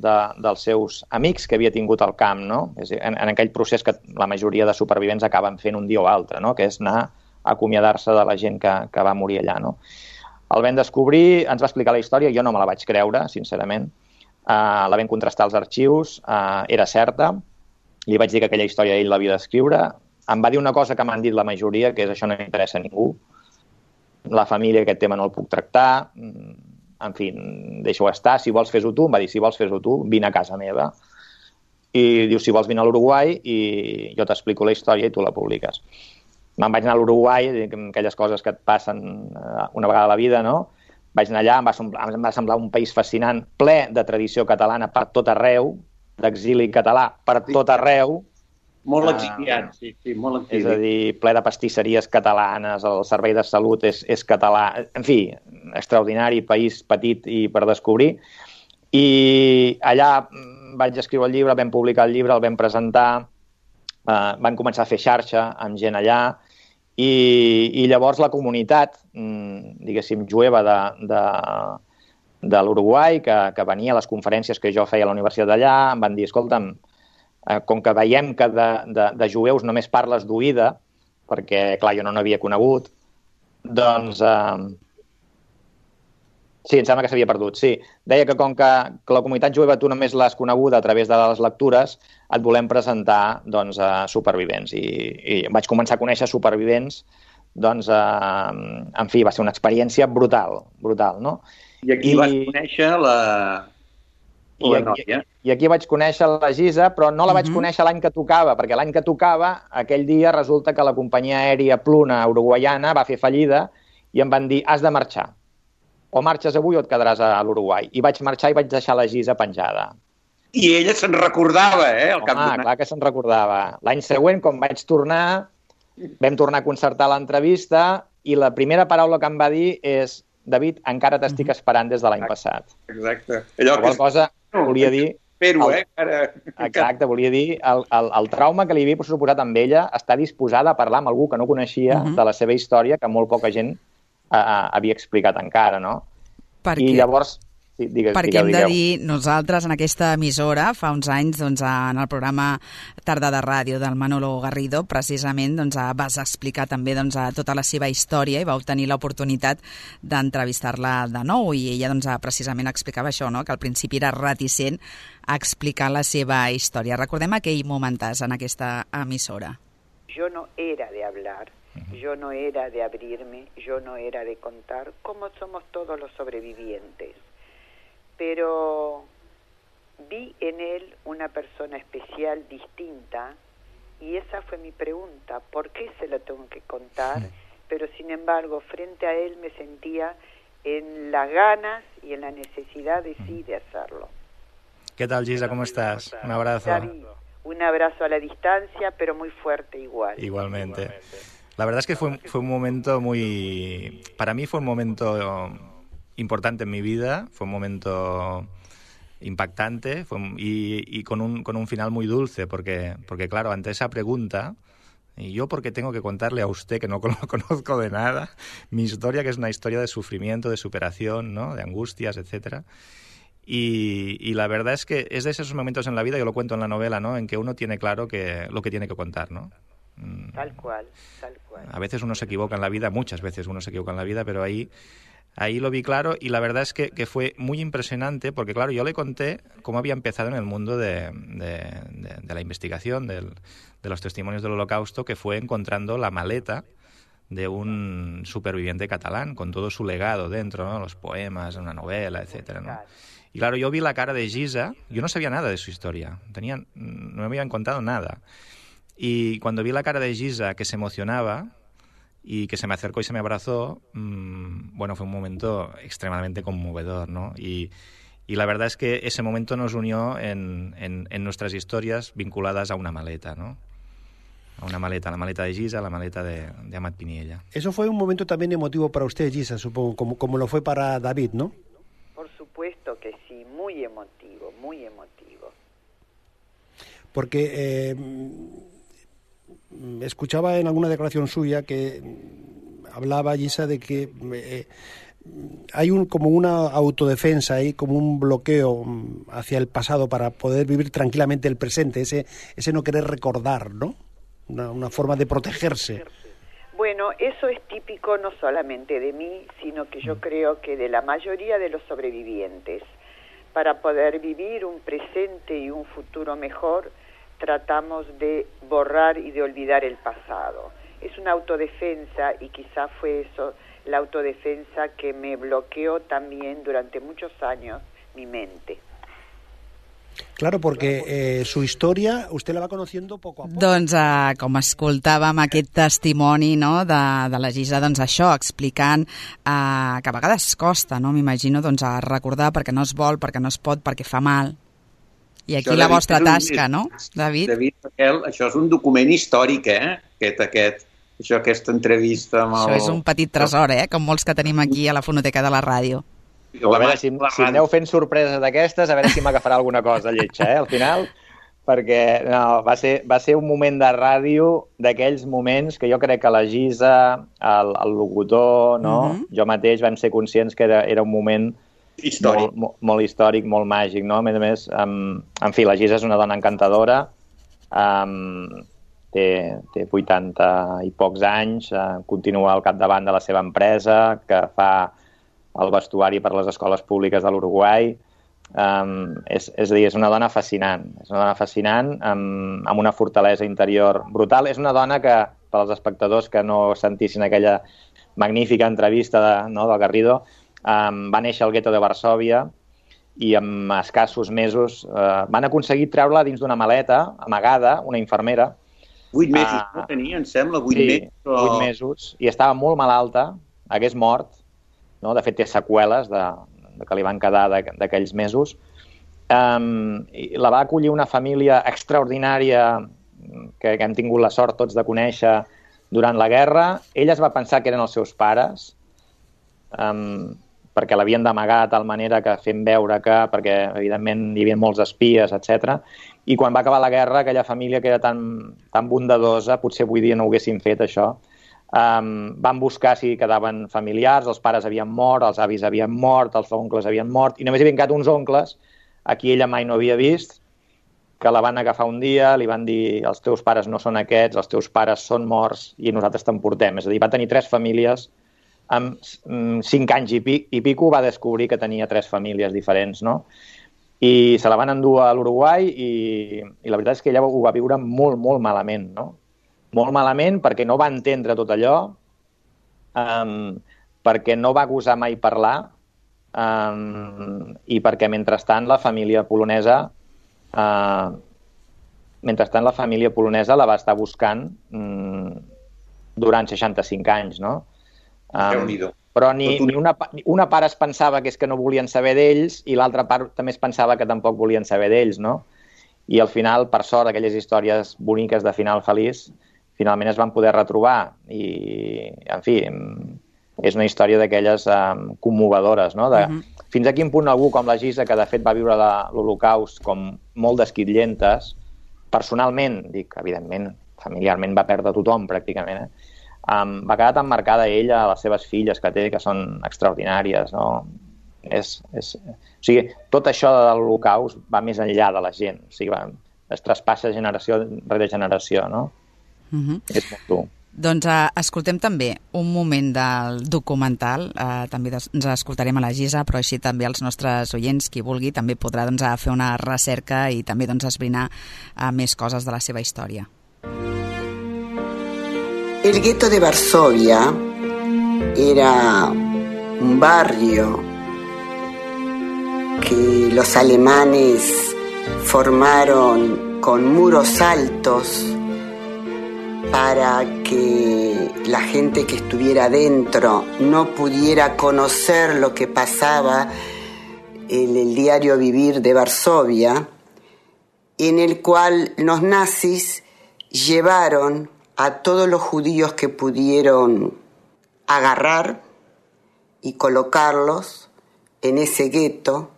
dels seus amics que havia tingut al camp, no? En aquell procés que la majoria de supervivents acaben fent un dia o altre, no? Que és anar a acomiadar-se de la gent que va morir allà, no? El vam descobrir, ens va explicar la història, jo no me la vaig creure, sincerament. La vam contrastar als arxius, era certa, li vaig dir que aquella història ell l'havia d'escriure. Em va dir una cosa que m'han dit la majoria, que és això no m'interessa a ningú. La família, aquest tema no el puc tractar. En fi, deixa-ho estar. Si vols fes-ho tu, em va dir, si vols fes-ho tu, vine a casa meva. I diu, si vols vine a l'Uruguai i jo t'explico la història i tu la publiques. Me'n vaig anar a l'Uruguai, aquelles coses que et passen una vegada a la vida, no? Vaig anar allà, em va semblar un país fascinant, ple de tradició catalana per tot arreu, d'exili català per tot arreu. Molt exiliat, sí, molt exiliat. És a dir, ple de pastisseries catalanes, el servei de salut és català. En fi, extraordinari, país petit i per descobrir. I allà vaig escriure el llibre, vam publicar el llibre, el vam presentar, van començar a fer xarxa amb gent allà i llavors la comunitat, diguéssim, jueva de l'Uruguai, que venia a les conferències que jo feia a la universitat d'allà, em van dir, escolta'm, com que veiem que de jueus només parles d'oïda, perquè, clar, jo no n'havia conegut, doncs... Sí, em sembla que s'havia perdut, sí. Deia que com que la comunitat jueva tu només l'has coneguda a través de les lectures, et volem presentar doncs, supervivents. I vaig començar a conèixer supervivents, doncs, en fi, va ser una experiència brutal, no? I aquí vas conèixer la noia. I aquí vaig conèixer la Gisa, però no la vaig conèixer l'any que tocava, perquè l'any que tocava, aquell dia, resulta que la companyia aèria Pluna uruguaiana va fer fallida i em van dir, has de marxar. O marxes avui o et quedaràs a l'Uruguai. I vaig marxar i vaig deixar la Gisa penjada. I ella se'n recordava, Clar que se'n recordava. L'any següent, quan vaig tornar, vam tornar a concertar l'entrevista i la primera paraula que em va dir és David, encara t'estic esperant des de l'any passat. Exacte. Qualsevol cosa volia dir Espero, Exacte, volia dir, el trauma que li havia suposat amb ella, està disposada a parlar amb algú que no coneixia de la seva història, que molt poca gent havia explicat encara, no? I llavors... Perquè hem de dir, nosaltres en aquesta emissora, fa uns anys, doncs, en el programa Tarda de Ràdio del Manolo Garrido, precisament doncs, vas explicar també doncs, tota la seva història i vau tenir l'oportunitat d'entrevistar-la de nou i ella doncs, precisament explicava això, no? Que al principi era reticent a explicar la seva història. Recordem aquell momentàs en aquesta emissora. Yo no era de hablar, yo no era de abrirme, yo no era de contar, como somos todos los sobrevivientes. Pero vi en él una persona especial, distinta, y esa fue mi pregunta, ¿por qué se lo tengo que contar? Pero sin embargo, frente a él me sentía en las ganas y en la necesidad de sí de hacerlo. ¿Qué tal, Gisa? ¿Cómo estás? Un abrazo. David, un abrazo a la distancia, pero muy fuerte igual. Igualmente. La verdad es que fue un momento muy... Para mí fue un momento importante en mi vida, fue un momento impactante y con un final muy dulce, porque claro, ante esa pregunta, ¿y yo por qué tengo que contarle a usted, que no lo conozco de nada, mi historia, que es una historia de sufrimiento, de superación, ¿no? De angustias, etcétera? Y la verdad es que es de esos momentos en la vida, yo lo cuento en la novela, ¿no? En que uno tiene claro lo que tiene que contar, ¿no? Tal cual, tal cual. A veces uno se equivoca en la vida, muchas veces uno se equivoca en la vida, pero ahí lo vi claro y la verdad es que fue muy impresionante porque, claro, yo le conté cómo había empezado en el mundo de la investigación, de los testimonios del Holocausto, que fue encontrando la maleta de un superviviente catalán con todo su legado dentro, ¿no? Los poemas, una novela, etcétera, ¿no? Y claro, yo vi la cara de Gisa, yo no sabía nada de su historia, no me habían contado nada. Y cuando vi la cara de Gisa, que se emocionaba y que se me acercó y se me abrazó, bueno, fue un momento extremadamente conmovedor, ¿no? Y la verdad es que ese momento nos unió en nuestras historias vinculadas a una maleta, ¿no? A una maleta, la maleta de Gisa, la maleta de Amat Piniella. Eso fue un momento también emotivo para usted, Gisa, supongo, como lo fue para David, ¿no? Por supuesto que sí, muy emotivo, muy emotivo. Porque escuchaba en alguna declaración suya que hablaba Gisa de que hay como una autodefensa, hay como un bloqueo hacia el pasado para poder vivir tranquilamente el presente, ese no querer recordar, ¿no? Una forma de protegerse. Bueno, eso es típico no solamente de mí, sino que yo creo que de la mayoría de los sobrevivientes. Para poder vivir un presente y un futuro mejor, tratamos de borrar y de olvidar el pasado. Es una autodefensa y quizá fue eso, la autodefensa que me bloqueó también durante muchos años mi mente. Claro, porque su història usted la va conociendo poco a poco. Doncs com escoltàvem aquest testimoni, no, de la Gisa, doncs això, explicant que a vegades costa, no, m'imagino, doncs a recordar perquè no es vol, perquè no es pot, perquè fa mal. I aquí això, la vostra tasca, no, David? David, això és un document històric, aquesta entrevista amb Això és un petit tresor, com molts que tenim aquí a la fonoteca de la ràdio. A veure, si aneu fent sorpreses d'aquestes, a veure si m'agafarà alguna cosa lletja, al final, perquè no, va ser un moment de ràdio d'aquells moments que jo crec que la Gisa, el locutor, no? Jo mateix vam ser conscients que era un moment històric. Molt històric, molt màgic, no? A més, en fi, la Gisa és una dona encantadora, té 80 i pocs anys, continua al capdavant de la seva empresa, que fa el vestuari per a les escoles públiques de l'Uruguai. És a dir, és una dona fascinant. És una dona fascinant, amb una fortalesa interior brutal. És una dona que, per als espectadors que no sentissin aquella magnífica entrevista del Garrido, va néixer al gueto de Varsòvia i en escassos mesos van aconseguir treure-la dins d'una maleta amagada, una infermera. 8 mesos no tenia, em sembla, 8 mesos. Sí, 8 mesos, i estava molt malalta, hagués mort, no? De fet, té seqüeles que li van quedar d'aquells mesos. La va acollir una família extraordinària que hem tingut la sort tots de conèixer durant la guerra. Ella es va pensar que eren els seus pares, perquè l'havien d'amagar de tal manera que fent veure que, perquè evidentment hi havia molts espies, etc. I quan va acabar la guerra, aquella família que era tan bondadosa, potser avui dia no ho haguessin fet això, van buscar si quedaven familiars, els pares havien mort, els avis havien mort, els oncles havien mort, i només hi havien quedat uns oncles a qui ella mai no havia vist, que la van agafar un dia, li van dir els teus pares no són aquests, els teus pares són morts i nosaltres t'emportem. És a dir, va tenir 3 famílies, amb 5 anys i pico va descobrir que tenia 3 famílies diferents, no? I se la van endur a l'Uruguai i la veritat és que ella ho va viure molt, molt malament, no? Molt malament perquè no va entendre tot allò, perquè no va gosar mai parlar i perquè mentrestant la família polonesa la va estar buscant durant 65 anys, no? Però ni una part es pensava que és que no volien saber d'ells i l'altra part també es pensava que tampoc volien saber d'ells, no? I al final, per sort, aquelles històries boniques de final feliç finalment es van poder retrobar i, en fi, és una història d'aquelles commovedores, no? Fins a quin punt algú com la Gisa, que de fet va viure l'Holocaust com molt desquitllentes, personalment, dic, evidentment, familiarment va perdre tothom pràcticament, va quedar tan marcada ella, les seves filles que té, que són extraordinàries, no? O sigui, tot això de l'Holocaust va més enllà de la gent, o sigui, es traspassa generació rere generació, no? És molt dur. Doncs escoltem també un moment del documental, també ens escoltarem a la Gisa, però així també els nostres oients, qui vulgui, també podrà fer una recerca i també esbrinar més coses de la seva història. El gueto de Varsovia era un barrio que los alemanes formaron con muros altos para que la gente que estuviera dentro no pudiera conocer lo que pasaba en el diario vivir de Varsovia, en el cual los nazis llevaron a todos los judíos que pudieron agarrar y colocarlos en ese gueto,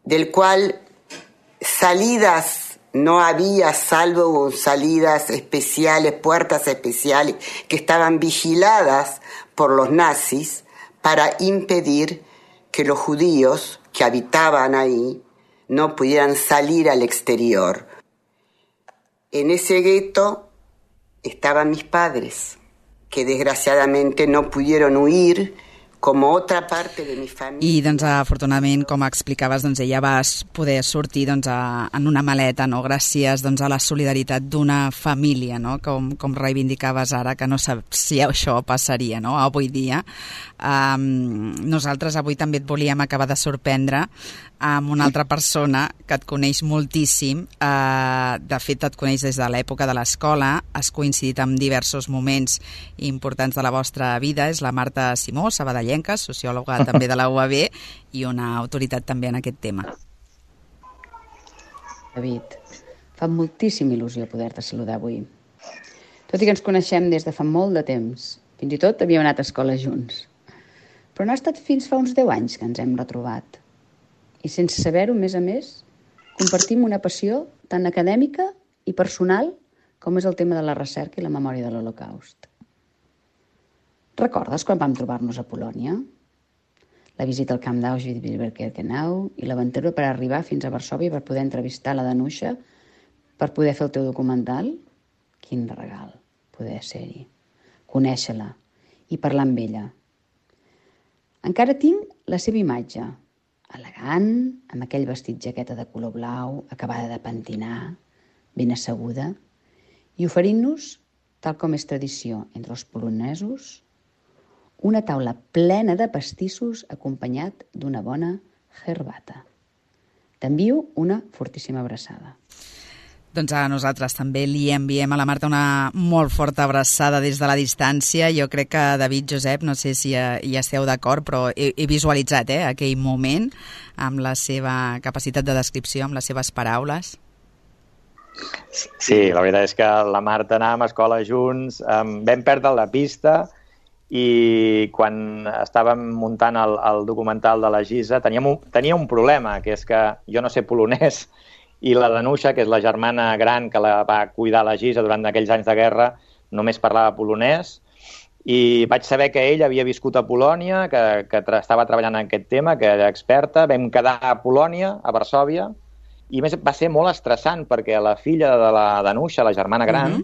del cual salidas no había, salvo salidas especiales, puertas especiales que estaban vigiladas por los nazis para impedir que los judíos que habitaban ahí no pudieran salir al exterior. En ese gueto estaban mis padres, que desgraciadamente no pudieron huir com otra parte de mi família. I, afortunadament, com explicaves, ella va poder sortir en una maleta, no? Gràcies a la solidaritat d'una família, no? Com reivindicaves ara, que no saps si això passaria, no? Avui dia. Nosaltres avui també et volíem acabar de sorprendre amb una altra persona que et coneix moltíssim. De fet, et coneix des de l'època de l'escola, has coincidit en diversos moments importants de la vostra vida. És la Marta Simó, sabadellenca, sociòloga també de la UAB i una autoritat també en aquest tema. David, fa moltíssima il·lusió poder-te saludar avui. Tot i que ens coneixem des de fa molt de temps, fins i tot havíem anat a escola junts. Però no ha estat fins fa uns 10 anys que ens hem retrobat. I sense saber-ho, a més, compartim una passió tan acadèmica i personal com és el tema de la recerca i la memòria de l'Holocaust. Recordes quan vam trobar-nos a Polònia? La visita al camp d'Auschwitz-Birkenau i l'aventura per arribar fins a Varsòvia per poder entrevistar la Danusha, per poder fer el teu documental? Quin regal poder ser-hi, conèixer-la i parlar amb ella. Encara tinc la seva imatge, elegant, amb aquell vestit jaqueta de color blau, acabada de pentinar, ben asseguda, i oferint-nos, tal com és tradició entre els polonesos, una taula plena de pastissos acompanyat d'una bona herbata. T'envio una fortíssima abraçada. Doncs a nosaltres també li enviem a la Marta una molt forta abraçada des de la distància. Jo crec que David, Josep, no sé si hi esteu d'acord, però he visualitzat aquell moment amb la seva capacitat de descripció, amb les seves paraules. Sí, la veritat és que la Marta anàvem a escola junts, vam perdre la pista i quan estàvem muntant el documental de la Gisa tenia un problema, que és que jo no sé polonès i la Danusia, que és la germana gran que la va cuidar la Gisa durant aquells anys de guerra, només parlava polonès, i vaig saber que ell havia viscut a Polònia, que estava treballant en aquest tema, que era experta. Vam quedar a Polònia, a Varsòvia, i a més va ser molt estressant perquè la filla de la Danusia, la germana gran,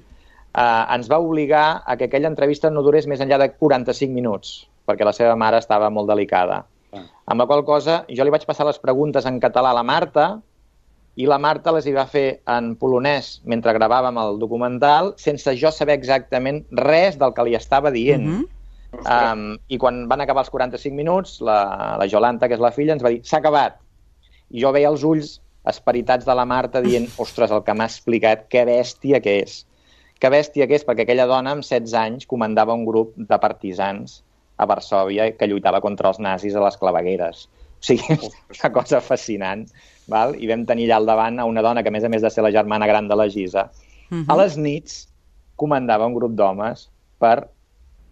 ens va obligar a que aquella entrevista no durés més enllà de 45 minuts, perquè la seva mare estava molt delicada. Amb la qual cosa jo li vaig passar les preguntes en català a la Marta, i la Marta les hi va fer en polonès mentre gravàvem el documental, sense jo saber exactament res del que li estava dient. I quan van acabar els 45 minuts, la Jolanta, que és la filla, ens va dir, s'ha acabat. I jo veia els ulls esperitats de la Marta dient, ostres, el que m'ha explicat, que bèstia que és. Que bèstia que és, perquè aquella dona amb 16 anys comandava un grup de partisans a Varsòvia que lluitava contra els nazis a les clavegueres. O sigui, és una cosa fascinant. Val? I vam tenir allà al davant a una dona que, a més de ser la germana gran de la Gisa, a les nits comandava un grup d'homes per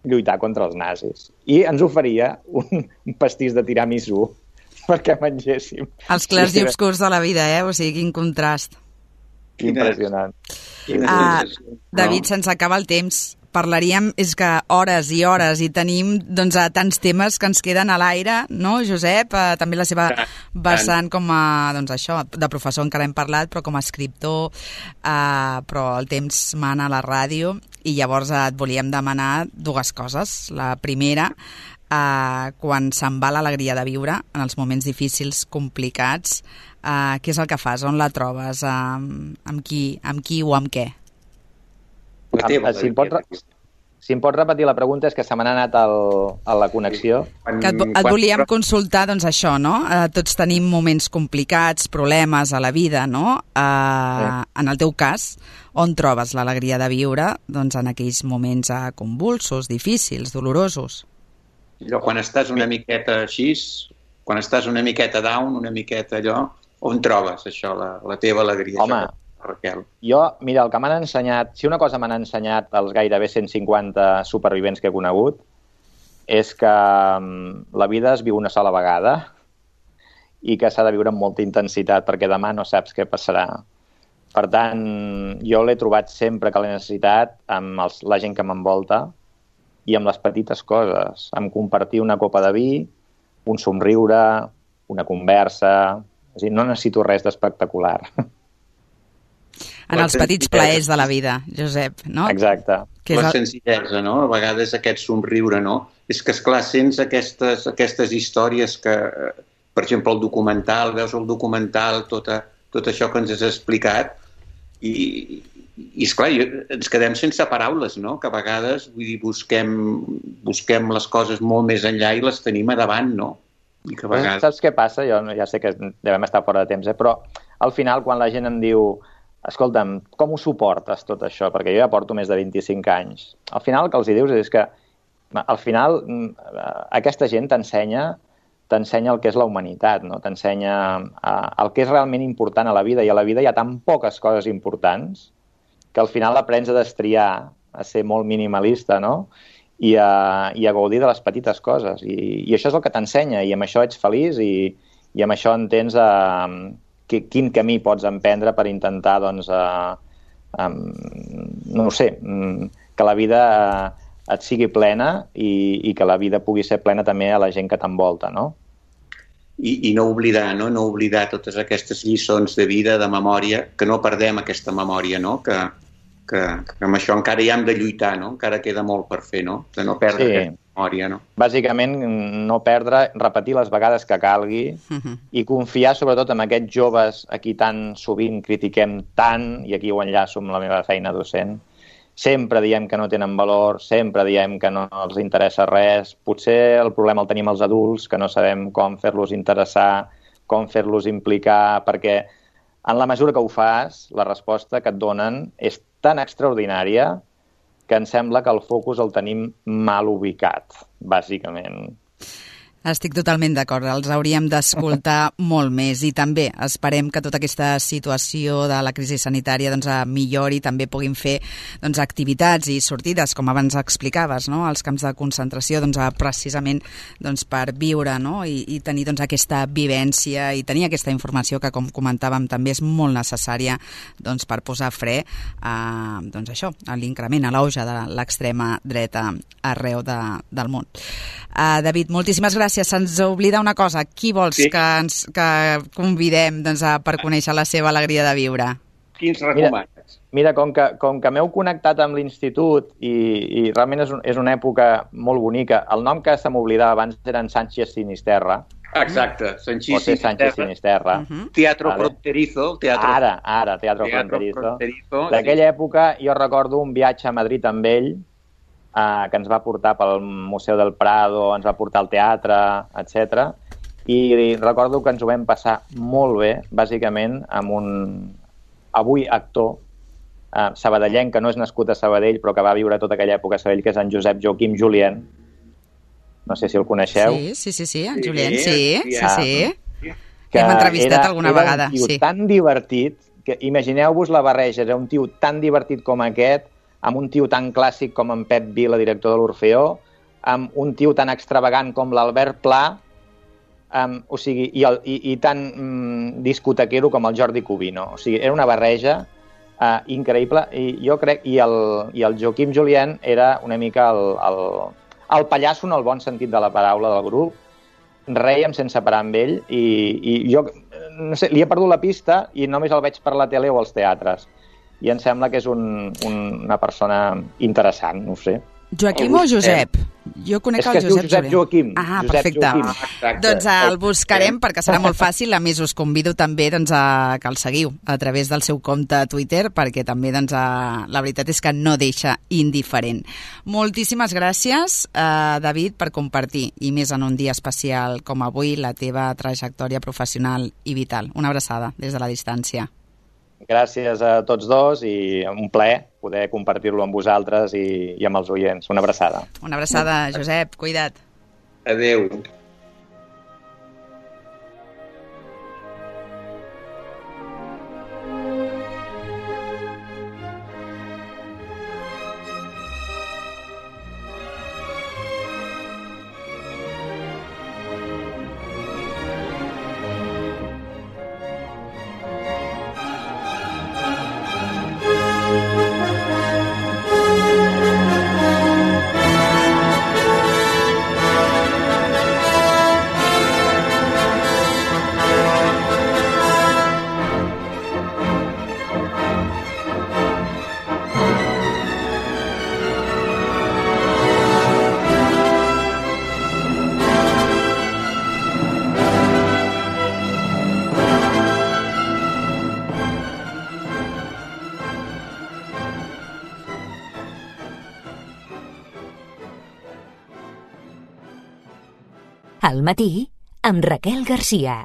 lluitar contra els nazis. I ens oferia un pastís de tiramisú perquè mengéssim. Els clars i obscurs de la vida, O sigui, quin contrast. Impressionant. David, se'ns acaba el temps. Parlaríem, és que hores i hores, i tenim tants temes que ens queden a l'aire, no, Josep? També la seva vessant com a, de professor encara hem parlat, però com a escriptor, però el temps mana a la ràdio, i llavors et volíem demanar dues coses. La primera, quan se'n va l'alegria de viure, en els moments difícils, complicats, què és el que fas? On la trobes? Amb qui o amb què? Si em pots repetir la pregunta, és que se m'ha anat a la connexió. Que et volíem consultar, doncs això, no? Tots tenim moments complicats, problemes a la vida, no? En el teu cas, on trobes l'alegria de viure? Doncs en aquells moments convulsos, difícils, dolorosos. Quan estàs una miqueta així, quan estàs una miqueta down, una miqueta allò, on trobes això, la teva alegria? Home, Raquel. Jo, mira, el que m'han ensenyat, si una cosa m'han ensenyat els gairebé 150 supervivents que he conegut, és que la vida es viu una sola vegada i que s'ha de viure amb molta intensitat, perquè demà no saps què passarà. Per tant, jo l'he trobat sempre que l'he necessitat amb la gent que m'envolta i amb les petites coses, amb compartir una copa de vi, un somriure, una conversa. És a dir, no necessito res d'espectacular. En els petits plaers de la vida, Josep, no? Exacte. La senzillesa, no? A vegades aquest somriure, no? És que, esclar, sents aquestes històries que, per exemple, el documental, veus el documental, tot això que ens has explicat, i esclar, ens quedem sense paraules, no? Que a vegades, vull dir, busquem les coses molt més enllà i les tenim a davant, no? I que a vegades... Saps què passa? Jo ja sé que devem estar fora de temps, però al final, quan la gent em diu escolta'm, com ho suportes tot això? Perquè jo ja porto més de 25 anys. Al final el que els dius és que al final aquesta gent t'ensenya el que és la humanitat, no? T'ensenya el que és realment important a la vida, i a la vida hi ha tan poques coses importants que al final aprens a destriar, a ser molt minimalista, no? I a gaudir de les petites coses. I això és el que t'ensenya, i amb això ets feliç i amb això entens quin camí pots emprendre per intentar, doncs, no ho sé, que la vida et sigui plena i que la vida pugui ser plena també a la gent que t'envolta, no? I no oblidar, no? No oblidar totes aquestes lliçons de vida, de memòria, que no perdem aquesta memòria, no? Que amb això encara hi hem de lluitar, no? Encara queda molt per fer, no? De no perdre aquesta memòria, no? Bàsicament, no perdre, repetir les vegades que calgui i confiar sobretot en aquests joves a qui tan sovint critiquem tant, i aquí ho enllaço amb la meva feina docent. Sempre diem que no tenen valor, sempre diem que no els interessa res. Potser el problema el tenim els adults, que no sabem com fer-los interessar, com fer-los implicar, perquè en la mesura que ho fas, la resposta que et donen és tan extraordinària que em sembla que el focus el tenim mal ubicat, bàsicament. Estic totalment d'acord, els hauríem d'escoltar molt més i també esperem que tota aquesta situació de la crisi sanitària doncs, millori i també puguin fer doncs, activitats i sortides, com abans explicaves, no? Als camps de concentració doncs, precisament doncs, per viure, no? I tenir doncs, aquesta vivència i tenir aquesta informació que, com comentàvem, també és molt necessària doncs, per posar fre doncs, això, a l'increment, a l'auge de l'extrema dreta arreu del món. David, moltíssimes gràcies. Se'ns oblida una cosa. Qui vols que convidem doncs, per conèixer la seva alegria de viure? Qui ens recomanes? Mira, com que m'heu connectat amb l'institut i realment és una època molt bonica, el nom que se m'oblidava abans era Sánchez Sinisterra. Exacte, Sánchez Sinisterra. Teatro Fronterizo. Ara, Teatro Fronterizo. D'aquella època jo recordo un viatge a Madrid amb ell, que ens va portar pel Museu del Prado, ens va portar al teatre, etc. I recordo que ens ho vam passar molt bé, bàsicament, amb un avui actor sabadellenc, que no és nascut a Sabadell, però que va viure tota aquella època a Sabadell, que és en Josep Joaquim Julien. No sé si el coneixeu. Sí, en Julien, sí. Que hem entrevistat alguna vegada. Era un tio tan divertit, que imagineu-vos la barreja, era un tio tan divertit com aquest, amb un tio tan clàssic com en Pep Vila, director de l'Orfeó, amb un tio tan extravagant com l'Albert Pla, i tan discotequero com el Jordi Cubino. O sigui, era una barreja increïble, i jo crec, i el Joaquim Julien era una mica el pallasso en el bon sentit de la paraula del grup. Rèiem sense parar amb ell, i jo, no sé, li he perdut la pista i només el veig per la tele o als teatres. I em sembla que és una persona interessant, no ho sé. Joaquim o Josep? Jo conec el Josep Joaquim. Ah, perfecte. Doncs el buscarem perquè serà molt fàcil. A més, us convido també doncs, que el seguiu a través del seu compte a Twitter, perquè també doncs, la veritat és que no deixa indiferent. Moltíssimes gràcies, David, per compartir, i més en un dia especial com avui, la teva trajectòria professional i vital. Una abraçada des de la distància. Gràcies a tots dos i un plaer poder compartir-lo amb vosaltres i amb els oients. Una abraçada. Una abraçada, Josep. Cuida't. Adéu. Al matí, amb Raquel Garcia.